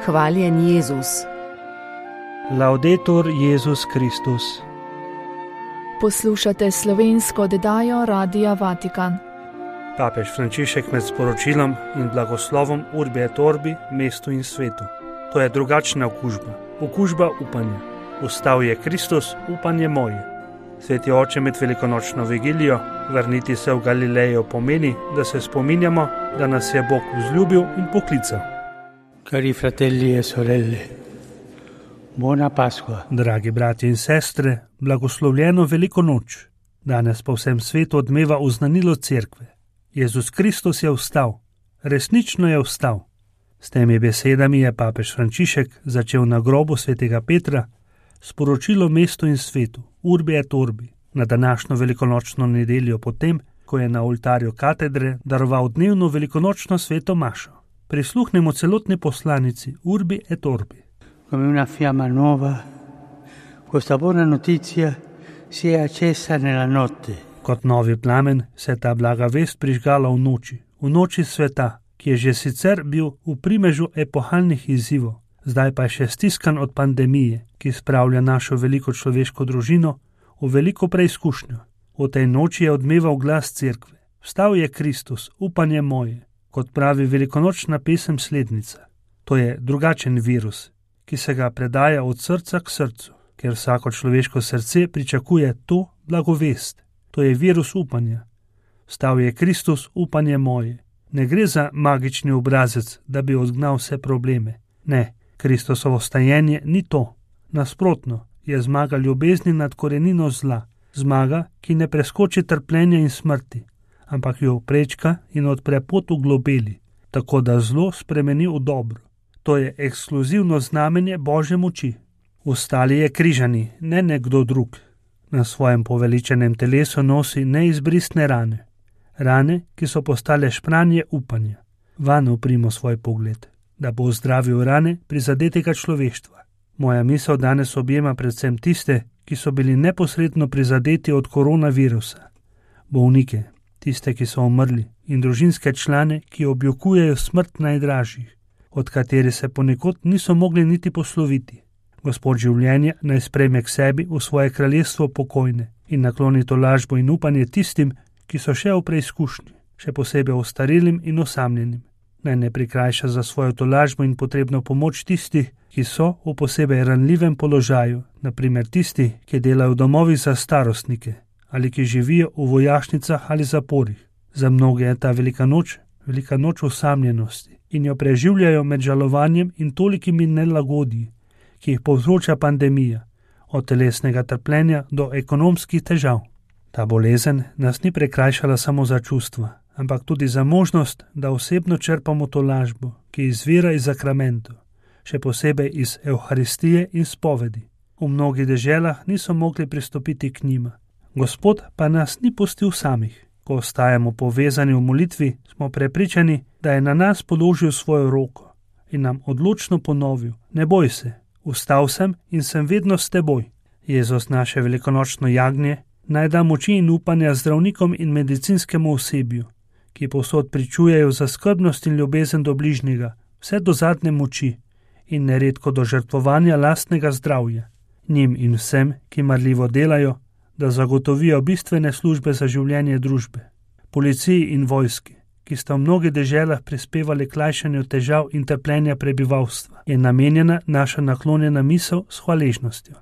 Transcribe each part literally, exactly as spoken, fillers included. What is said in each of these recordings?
Hvaljen Jezus. Laudetur Jezus Kristus. Poslušate slovensko oddajo Radia Vatikan. Papež Frančišek med sporočilom in blagoslovom Urbi et Orbi mestu in svetu. To je drugačna okužba, okužba upanja. Vstal je Kristus, upanje moje. Sveti oče, med velikonočno vigilijo, vrniti se v Galilejo pomeni, da se spominjamo, da nas je Bog vzljubil in poklical. Cari fratelli e sorelle, buona Pasqua. Dragi bratje in sestre, blagoslovljeno veliko noč. Danes po vsem svetu odmeva oznanilo cerkve. Jezus Kristus je vstal, resnično je vstal. S temi besedami je papež Frančišek začel na grobu svetega Petra sporočilo mestu in svetu, Urbi et Orbi, na današnjo velikonočno nedeljo potem, ko je na oltarju katedre daroval dnevno velikonočno sveto mašo. Prisluhnemo celotni poslanici Urbi et Orbi. Come una fiamma nuova, questa buona notizia si è accesa nella notte. Kot novi plamen se je ta blaga vest prižgala v noči, v noči sveta, ki je že sicer bil v primežu epohalnih izzivov, zdaj pa je še stiskan od pandemije, ki spravlja našo veliko človeško družino v veliko preizkušnjo. V tej noči je odmeval glas cerkve. Vstal je Kristus, upanje moje, kot pravi velikonočna pesem slednica. To je drugačen virus, ki se ga predaja od srca k srcu, ker vsako človeško srce pričakuje to blagovest. To je virus upanja. Vstal je Kristus, upanje moje. Ne gre za magični obrazec, da bi odgnal vse probleme. Ne, Kristusovo vstajenje ni to. Nasprotno, je zmaga ljubezni nad korenino zla. Zmaga, ki ne preskoči trpljenja in smrti, ampak jo prečka in odpre pot v globeli, tako da zlo spremeni v dobro. To je ekskluzivno znamenje Božje moči. Vstali je križani, ne nekdo drug. Na svojem poveličenem telesu nosi neizbrisne rane. Rane, ki so postale špranje upanja. Vanj uprimo svoj pogled, da bo zdravil rane prizadetega človeštva. Moja misel danes objema predvsem tiste, ki so bili neposredno prizadeti od koronavirusa. Bolnike, tiste, ki so umrli, in družinske člane, ki objokujejo smrt najdražjih, od katerih se ponekod niso mogli niti posloviti. Gospod življenja naj sprejme k sebi v svoje kraljestvo pokojne in nakloni tolažbo in upanje tistim, ki so še v preizkušnji, še posebej ostarilim in osamljenim. Naj ne prikrajša za svojo tolažbo in potrebno pomoč tistih, ki so v posebej ranljivem položaju, naprimer tisti, ki delajo v domovih za starostnike ali ki živijo v vojašnicah ali zaporih. Za mnoge je ta velika noč, velika noč osamljenosti in jo preživljajo med žalovanjem in tolikimi nelagodji, ki jih povzroča pandemija, od telesnega trpljenja do ekonomskih težav. Ta bolezen nas ni prekrajšala samo za čustva, ampak tudi za možnost, da osebno črpamo tolažbo, ki izvira iz zakramentov, še posebej iz Evharistije in spovedi. V mnogih deželah niso mogli pristopiti k njima. Gospod pa nas ni pustil samih. Ko ostajamo povezani v molitvi, smo prepričani, da je na nas položil svojo roko in nam odločno ponovil: ne boj se, vstal sem in sem vedno s teboj. Jezus, naše velikonočno jagnje, naj da moči in upanja zdravnikom in medicinskemu osebju, ki povsod pričujejo za skrbnost in ljubezen do bližnjega, vse do zadnje moči in neredko do žrtvovanja lastnega zdravja. Njim in vsem, ki marljivo delajo, da zagotovijo bistvene službe za življenje družbe. Policiji in vojski, ki sta v mnogih deželah prispevali k lajšanju težav in trpljenja prebivalstva, je namenjena naša naklonjena misel s hvaležnostjo.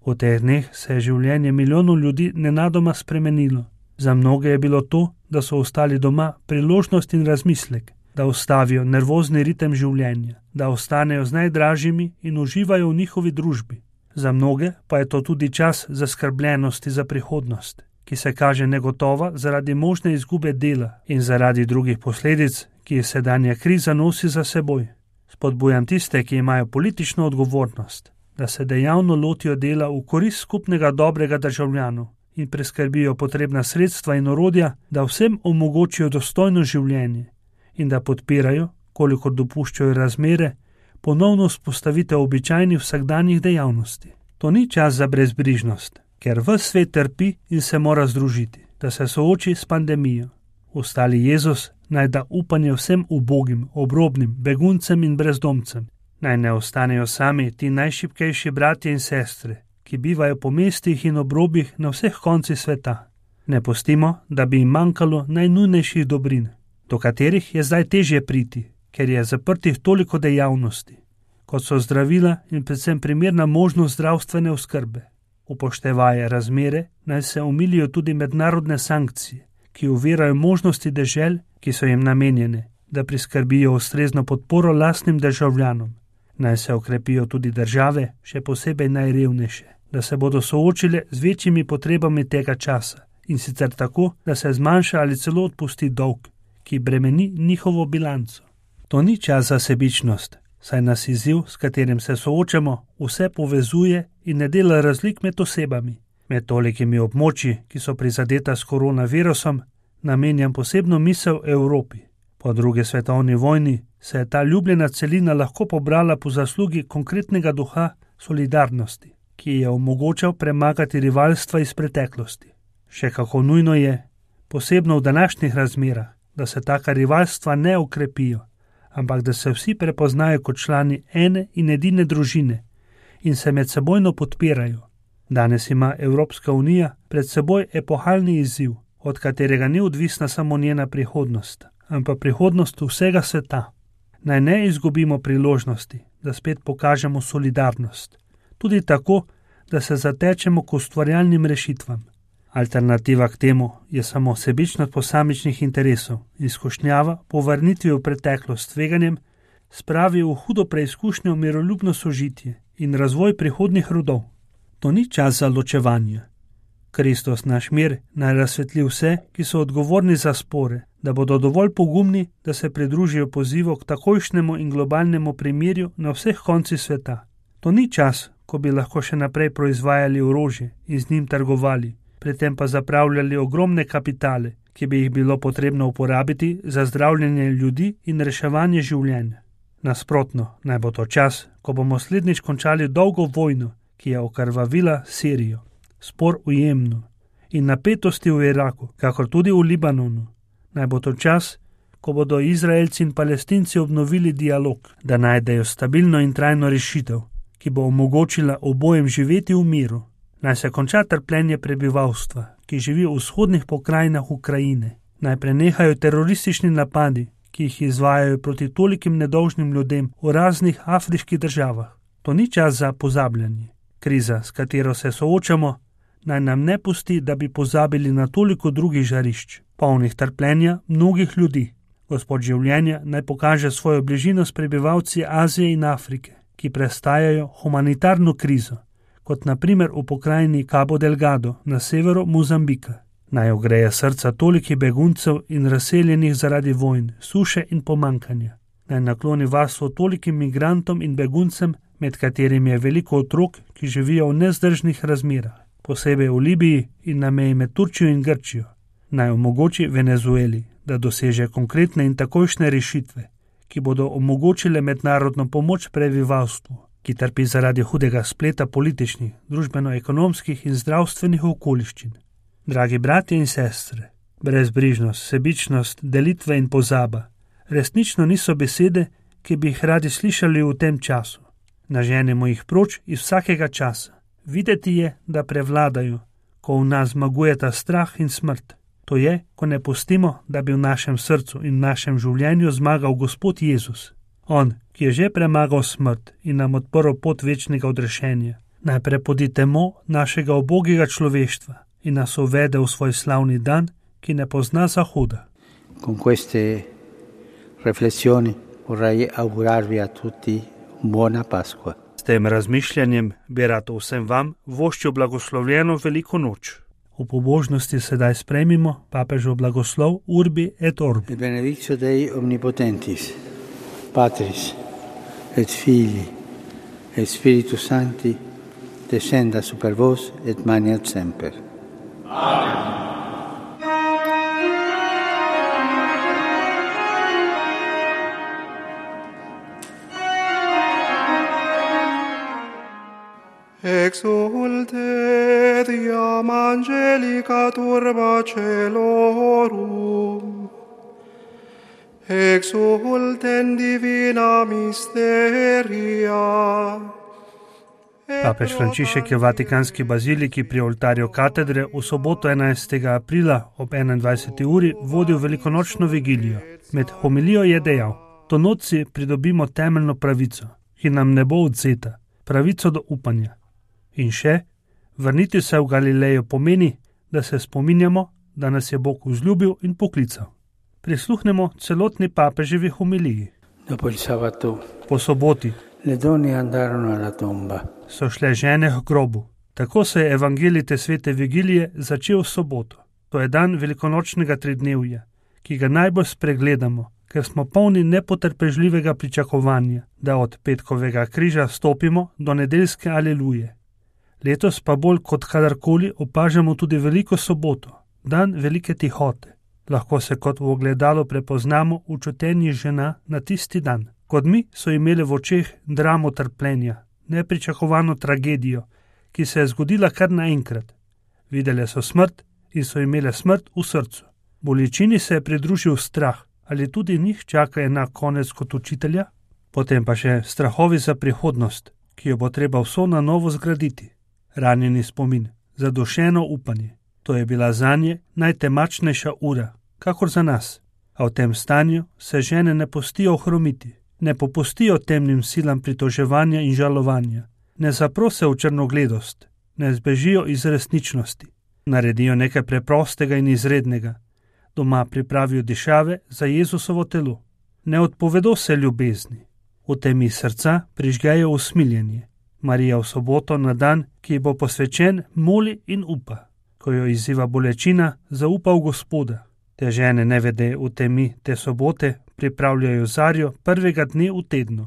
V teh dneh se je življenje milijonov ljudi nenadoma spremenilo. Za mnoge je bilo to, da so ostali doma, priložnost in razmislek, da ustavijo nervozni ritem življenja, da ostanejo z najdražjimi in uživajo v njihovi družbi. Za mnoge pa je to tudi čas zaskrbljenosti za prihodnost, ki se kaže negotova zaradi možne izgube dela in zaradi drugih posledic, ki je sedanja kriza nosi za seboj. Spodbujam tiste, ki imajo politično odgovornost, da se dejavno lotijo dela v korist skupnega dobrega državljanov in preskrbijo potrebna sredstva in orodja, da vsem omogočijo dostojno življenje in da podpirajo, kolikor dopuščajo razmere, ponovno vzpostavitev običajnih vsakdanjih dejavnosti. To ni čas za brezbrižnost, ker ves svet trpi in se mora združiti, da se sooči s pandemijo. Ostali Jezus naj da upanje vsem ubogim, obrobnim, beguncem in brezdomcem. Naj ne ostanejo sami ti najšibkejši bratje in sestre, ki bivajo po mestih in obrobjih na vseh koncih sveta. Ne pustimo, da bi jim manjkalo najnujnejših dobrin, do katerih je zdaj težje priti, ker je zaprtih toliko dejavnosti, kot so zdravila in predvsem primerna možnost zdravstvene oskrbe. Upoštevaje razmere, naj se omilijo tudi mednarodne sankcije, ki ovirajo možnosti dežel, ki so jim namenjene, da priskrbijo ustrezno podporo lastnim državljanom. Naj se okrepijo tudi države, še posebej najrevnejše, da se bodo soočile z večjimi potrebami tega časa, in sicer tako, da se zmanjša ali celo odpusti dolg, ki bremeni njihovo bilanco. To ni čas za sebičnost, saj nas izziv, s katerim se soočamo, vse povezuje in ne dela razlik med osebami. Med tolikimi območji, ki so prizadeta s koronavirusom, namenjam posebno misel Evropi. Po drugi svetovni vojni se je ta ljubljena celina lahko pobrala po zaslugi konkretnega duha solidarnosti, ki je omogočal premagati rivalstva iz preteklosti. Še kako nujno je, posebno v današnjih razmerah, da se taka rivalstva ne okrepijo, ampak da se vsi prepoznajo kot člani ene in edine družine in se medsebojno podpirajo. Danes ima Evropska unija pred seboj epohalni izziv, od katerega ni odvisna samo njena prihodnost, ampak prihodnost vsega sveta. Naj ne izgubimo priložnosti, da spet pokažemo solidarnost, tudi tako, da se zatečemo k ustvarjalnim rešitvam. Alternativa k temu je samo sebičnost posamičnih interesov in skušnjava po vrnitvi v preteklost tveganjem spravi v hudo preizkušnjo miroljubno sožitje in razvoj prihodnjih rodov. To ni čas za ločevanje. Kristus naš mir naj razsvetli vse, ki so odgovorni za spore, da bodo dovolj pogumni, da se pridružijo pozivu k takojšnjemu in globalnemu primirju na vseh koncih sveta. To ni čas, ko bi lahko še naprej proizvajali orožje in z njim trgovali, pri tem pa zapravljali ogromne kapitale, ki bi jih bilo potrebno uporabiti za zdravljenje ljudi in reševanje življenja. Nasprotno, naj bo to čas, ko bomo slednjič končali dolgo vojno, ki je okrvavila Sirijo, spor v Jemnu in napetosti v Iraku, kakor tudi v Libanonu. Naj bo to čas, ko bodo Izraelci in Palestinci obnovili dialog, da najdejo stabilno in trajno rešitev, ki bo omogočila obojem živeti v miru. Naj se konča trpljenje prebivalstva, ki živi v vzhodnih pokrajinah Ukrajine. Naj prenehajo teroristični napadi, ki jih izvajajo proti tolikim nedolžnim ljudem v raznih afriških državah. To ni čas za pozabljanje. Kriza, s katero se soočamo, naj nam ne pusti, da bi pozabili na toliko drugih žarišč, polnih trpljenja mnogih ljudi. Gospod življenja naj pokaže svojo bližino s prebivalci Azije in Afrike, ki prestajajo humanitarno krizo, kot na primer v pokrajini Cabo Delgado na severu Mozambika. Naj ogreje srca tolikih beguncev in razseljenih zaradi vojn, suše in pomankanja. Naj nakloni varstvo tolikim migrantom in beguncem, med katerimi je veliko otrok, ki živijo v nezdržnih razmerah, posebej v Libiji in na meji med Turčijo in Grčijo. Naj omogoči Venezueli, da doseže konkretne in takojšnje rešitve, ki bodo omogočile mednarodno pomoč prebivalstvu, ki trpi zaradi hudega spleta političnih, družbeno-ekonomskih in zdravstvenih okoliščin. Dragi bratje in sestre, brezbrižnost, sebičnost, delitve in pozaba resnično niso besede, ki bi jih radi slišali v tem času. Naženemo jih proč iz vsakega časa. Videti je, da prevladajo, ko v nas zmagujeta strah in smrt. To je, ko ne pustimo, da bi v našem srcu in v našem življenju zmagal Gospod Jezus. On, ki je že premagal smrt in nam odprl pot večnega odrešenja. Naj prepodi temo našega ubogega človeštva in nas uvede v svoj slavni dan, ki ne pozna zahoda. Con queste riflessioni vorrei augurarvi a tutti buona Pasqua. S tem razmišljanjem bi rad vsem vam voščil blagoslovljeno veliko noč. V pobožnosti sedaj sprejmimo papežov blagoslov Urbi et Orbi. Il benedictio Dei omnipotentis, Patris et Filii et Spiritus Sancti descenda super vos et maneat semper. Amen. Exulte diam angelica turba celorum, exulten divina mysteria. Papež Frančišek je v Vatikanski baziliki pri oltarju katedre v soboto enajstega aprila ob enaindvajseti uri vodil velikonočno vigilijo. Med homilijo je dejal: "To noč si pridobimo temeljno pravico, ki nam ne bo odzeta, pravico do upanja." In še: "Vrniti se v Galilejo pomeni, da se spominjamo, da nas je Bog vzljubil in poklical." Prisluhnemo celotni papeževi homiliji. Dopo il sabato, Po soboti le donne andarono alla tomba. so šle žene k grobu. Tako se je evangelij te svete vigilije začel v soboto. To je dan velikonočnega tridnevja, ki ga najbolj spregledamo, ker smo polni nepotrpežljivega pričakovanja, da od petkovega križa stopimo do nedeljske aleluje. Letos pa bolj kot kadarkoli opažamo tudi veliko soboto, dan velike tihote. Lahko se kot v ogledalu prepoznamo v čutenji žena na tisti dan. Kot mi so imeli v očeh dramo trpljenja, nepričakovano tragedijo, ki se je zgodila kar naenkrat. Videle so smrt in so imele smrt v srcu. Bolečini se je pridružil strah, ali tudi njih čaka enak konec kot učitelja, potem pa še strahovi za prihodnost, ki jo bo treba vso na novo zgraditi. Ranjeni spomin, zadušeno upanje. To je bila zanje najtemačnejša ura, kakor za nas. A v tem stanju se žene ne pustijo ohromiti, ne popustijo temnim silam pritoževanja in žalovanja, ne zaprose v črnogledost, ne zbežijo iz resničnosti, naredijo nekaj preprostega in izrednega, doma pripravijo dišave za Jezusovo telo, ne odpovedo se ljubezni, v temi srca prižgejo usmiljenje. Marija v soboto na dan, ki bo posvečen, moli in upa. Ko jo izziva bolečina, zaupa v Gospoda. Te žene nevede v temi te sobote pripravljajo zarjo prvega dne v tednu,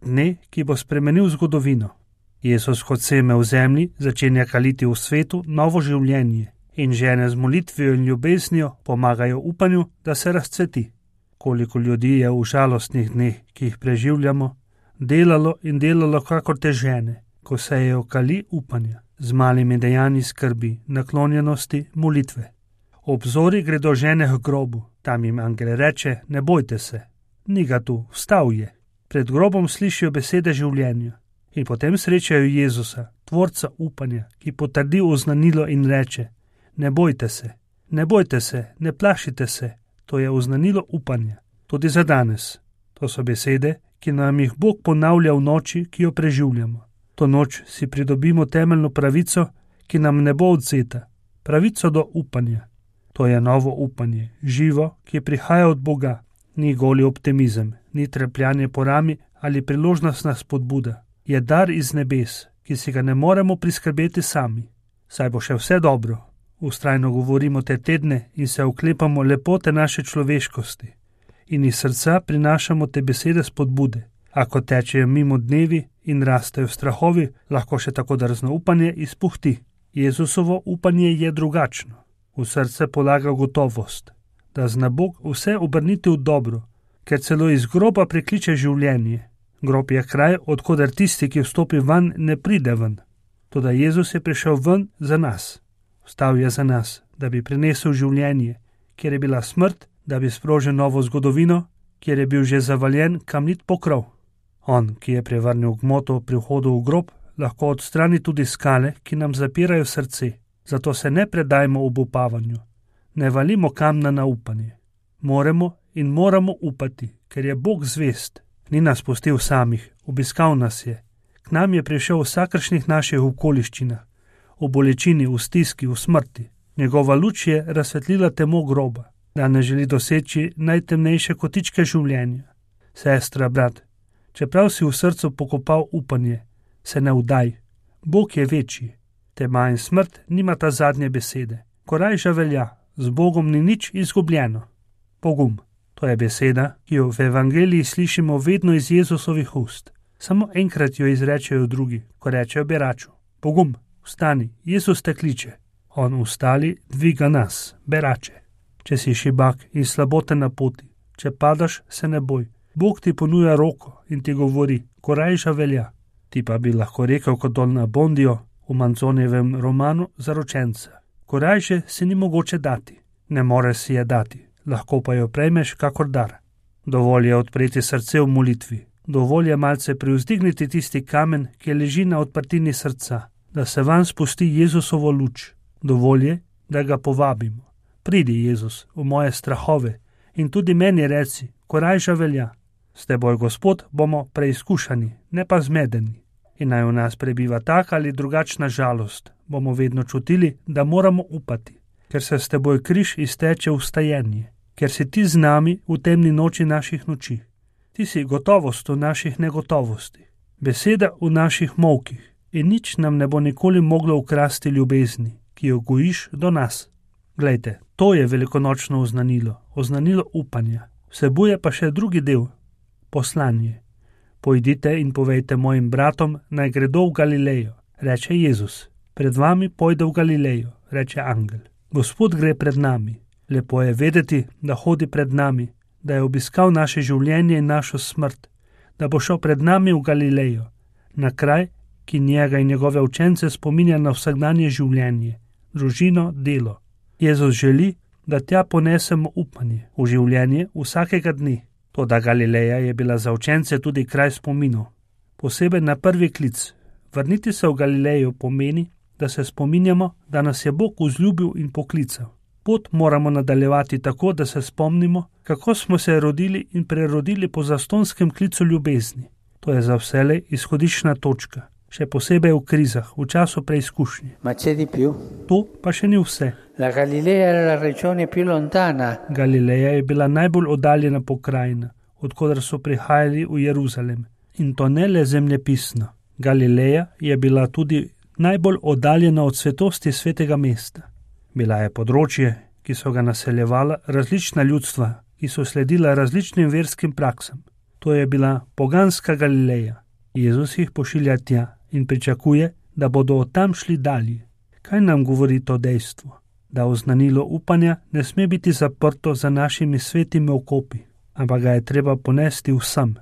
dne, ki bo spremenil zgodovino. Jezus kot seme v zemlji začenja kaliti v svetu novo življenje in žene z molitvijo in ljubeznijo pomagajo upanju, da se razcveti. Koliko ljudi je v žalostnih dneh, ki jih preživljamo, delalo in delalo kakor te žene, ko sejejo kali upanja, z malimi dejanji skrbi, naklonjenosti, molitve. Obzori gredo žene k grobu, tam jim angel reče: "Ne bojte se, ni ga tu, vstal je." Pred grobom slišijo besede življenja in potem srečajo Jezusa, tvorca upanja, ki potrdi oznanilo in reče: "Ne bojte se, ne bojte se, ne plašite se." To je oznanilo upanja, tudi za danes. To so besede, ki nam jih Bog ponavlja v noči, ki jo preživljamo. To noč si pridobimo temeljno pravico, ki nam ne bo odzeta, pravico do upanja. To je novo upanje, živo, ki prihaja od Boga. Ni goli optimizem, ni trepljanje po rami ali priložnostna spodbuda. Je dar iz nebes, ki si ga ne moremo priskrbeti sami. Saj bo še vse dobro. Vztrajno govorimo te tedne in se oklepamo lepote naše človeškosti. In iz srca prinašamo te besede spodbude. Ako tečejo mimo dnevi in rastejo strahovi, lahko še tako drzno upanje izpuhti. Jezusovo upanje je drugačno. V srce polaga gotovost, da zna Bog vse obrniti v dobro, ker celo iz groba prekliče življenje. Grob je kraj, odkoder tisti, ki vstopi van, ne pride ven. Toda Jezus je prišel ven za nas. Vstal je za nas, da bi prinesel življenje, kjer je bila smrt, da bi sprožil novo zgodovino, kjer je bil že zavaljen kamnit pokrov. On, ki je prevrnil gmoto pri vhodu v grob, lahko odstrani tudi skale, ki nam zapirajo srce. Zato se ne predajmo obupavanju, ne valimo kamna na upanje. Moramo in moramo upati, ker je Bog zvest. Ni nas pustil samih, obiskal nas je. K nam je prišel v vsakršnih naših okoliščinah, v bolečini, v stiski, v smrti. Njegova luč je razsvetlila temo groba, da ne želi doseči najtemnejše kotičke življenja. Sestra, brat, čeprav si v srcu pokopal upanje, se ne vdaj. Bog je večji. Tema in smrt nimata zadnje besede. Korajža velja, z Bogom ni nič izgubljeno. Pogum, to je beseda, ki jo v evangeliji slišimo vedno iz Jezusovih ust. Samo enkrat jo izrečejo drugi, ko rečejo beraču: "Pogum, vstani, Jezus te kliče." On vstali, dviga nas, berače. Če si šibak in slabote na poti, če padaš, se ne boj. Bog ti ponuja roko in ti govori: "Korajža velja." Ti pa bi lahko rekel kot Don Abbondio v Manzonijevem romanu Zaročenca: "Korajže si ni mogoče dati, ne moreš si je dati, lahko pa jo prejmeš kakor dar." Dovolj je odpreti srce v molitvi. Dovolj je malce privzdigniti tisti kamen, ki leži na odprtini srca, da se vanj spusti Jezusovo luč. Dovolj je, da ga povabimo. Pridi, Jezus, v moje strahove in tudi meni reci, korajža velja. S teboj, Gospod, bomo preizkušani, ne pa zmedeni. In naj v nas prebiva taka ali drugačna žalost, bomo vedno čutili, da moramo upati, ker se s teboj križ izteče v stajenje, ker si ti z nami v temni noči naših noči. Ti si gotovost v naših negotovosti, beseda v naših molkih in nič nam ne bo nikoli moglo ukrasti ljubezni, ki jo gojiš do nas. Glejte, to je velikonočno oznanilo, oznanilo upanja. Vsebuje pa še drugi del, poslanje. Pojdite in povejte mojim bratom, naj gredo v Galilejo, reče Jezus. Pred vami pojde v Galilejo, reče angel. Gospod gre pred nami. Lepo je vedeti, da hodi pred nami, da je obiskal naše življenje in našo smrt, da bo šel pred nami v Galilejo, na kraj, ki njega in njegove učence spominja na vsakdanje življenje, družino, delo. Jezus želi, da tja ponesemo upanje v življenje vsakega dne. Toda Galileja je bila za učence tudi kraj spominov. Posebej na prvi klic. Vrniti se v Galilejo pomeni, da se spominjamo, da nas je Bog vzljubil in poklical. Pot moramo nadaljevati tako, da se spomnimo, kako smo se rodili in prerodili po zastonskem klicu ljubezni. To je za vselej izhodiščna točka, še posebej v krizah, v času preizkušnje. Ma c'è di più? To pa še ni vse. La Galilea era la regione più lontana. Galileja je bila najbolj oddaljena pokrajina, odkudar so prihajali v Jeruzalem. In to ne le zemljepisno. Galileja je bila tudi najbolj oddaljena od svetosti svetega mesta. Bila je področje, ki so ga naseljevala različna ljudstva, ki so sledila različnim verskim praksam. To je bila poganska Galileja. Jezus jih pošilja tja in pričakuje, da bodo od tam šli dalje. Kaj nam govori to dejstvo? Da oznanilo upanja ne sme biti zaprto za našimi svetimi okopi, ampak ga je treba ponesti vsem,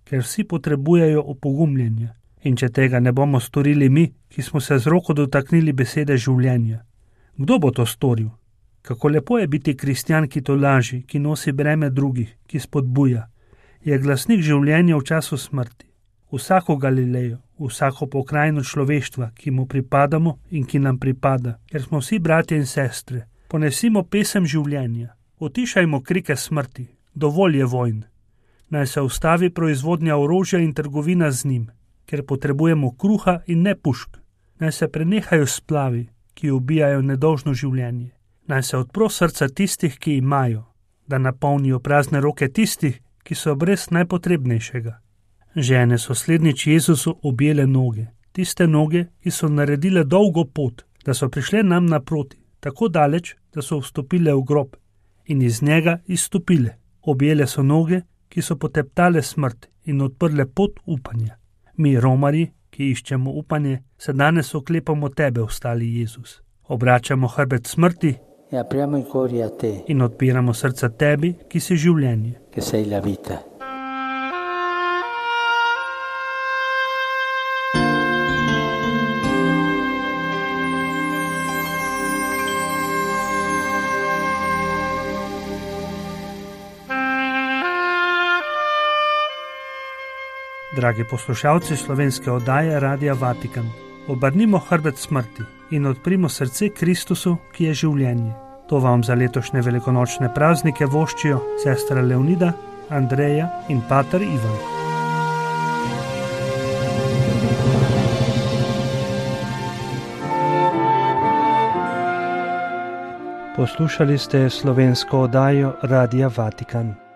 ker vsi potrebujejo opogumljenja. In če tega ne bomo storili mi, ki smo se z roko dotaknili besede življenja, kdo bo to storil? Kako lepo je biti kristjan, ki to laži, ki nosi breme drugih, ki spodbuja. Je glasnik življenja v času smrti. Vsako Galilejo, vsako pokrajino človeštva, ki mu pripadamo in ki nam pripada, ker smo vsi bratje in sestre, ponesimo pesem življenja. Utišajmo krike smrti, dovolj je vojn. Naj se ustavi proizvodnja orožja in trgovina z njim, ker potrebujemo kruha in ne pušk. Naj se prenehajo splavi, ki ubijajo nedolžno življenje. Naj se odpro srca tistih, ki imajo, da napolnijo prazne roke tistih, ki so brez najpotrebnejšega. Žene so slednjič Jezusu objele noge, tiste noge, ki so naredile dolgo pot, da so prišle nam naproti, tako daleč, da so vstopile v grob in iz njega izstopile. Objele so noge, ki so poteptale smrt in odprle pot upanja. Mi, romarji, ki iščemo upanje, se danes oklepamo tebe, ostali Jezus. Obračamo hrbet smrti in odpiramo srca tebi, ki si življenje. Che sei la vita. Dragi poslušalci slovenske oddaje Radia Vatikan, obrnimo hrbet smrti in odprimo srce Kristusu, ki je življenje. To vam za letošnje velikonočne praznike voščijo sestra Leonida, Andreja in pater Ivan. Poslušali ste slovensko oddajo Radia Vatikan.